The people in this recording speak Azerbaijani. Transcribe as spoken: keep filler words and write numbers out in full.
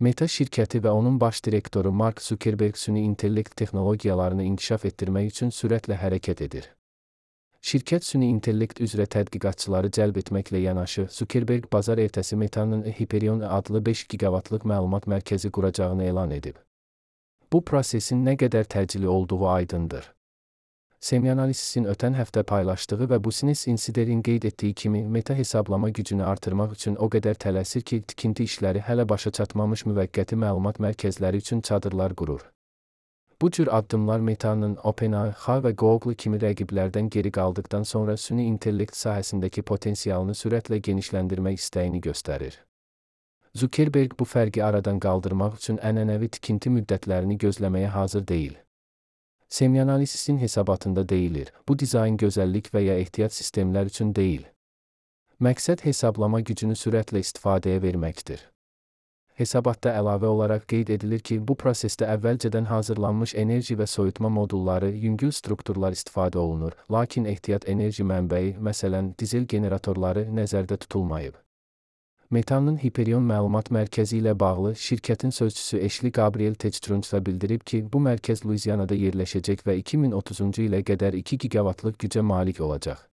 Meta şirkəti və onun baş direktoru Mark Zuckerberg süni intellekt texnologiyalarını inkişaf etdirmək üçün sürətlə hərəkət edir. Şirkət süni intellekt üzrə tədqiqatçıları cəlb etməklə yanaşı, Zuckerberg bazar ertəsi Meta'nın Hyperion adlı beş giqavatlıq məlumat mərkəzi quracağını elan edib. Bu prosesin nə qədər təcili olduğu aydındır. Semyanalysis'in ötən həftə paylaşdığı və Business Insider'in qeyd etdiyi kimi Meta hesablama gücünü artırmaq üçün o qədər tələsir ki, tikinti işləri hələ başa çatmamış müvəqqəti məlumat mərkəzləri üçün çadırlar qurur. Bu cür addımlar Meta'nın OpenAI və Google kimi rəqiblərdən geri qaldıqdan sonra süni intellekt sahəsindəki potensialını sürətlə genişləndirmək istəyini göstərir. Zuckerberg bu fərqi aradan qaldırmaq üçün ənənəvi tikinti müddətlərini gözləməyə hazır deyil. Semyanalysis'in hesabatında deyilir, bu dizayn gözəllik və ya ehtiyat sistemlər üçün deyil. Məqsəd hesablama gücünü sürətlə istifadəyə verməkdir. Hesabatda əlavə olaraq qeyd edilir ki, bu prosesdə əvvəlcədən hazırlanmış enerji və soyutma modulları, yüngül strukturlar istifadə olunur, lakin ehtiyat enerji mənbəyi, məsələn, dizel generatorları nəzərdə tutulmayıb. Meta'nın Hyperion məlumat mərkəzi ilə bağlı şirkətin sözçüsü Ashley Gabriel Techtrunch bildirib ki, bu mərkəz Luizianada yerləşəcək və iki min otuzuncu ilə qədər iki gigavatlıq gücə malik olacaq.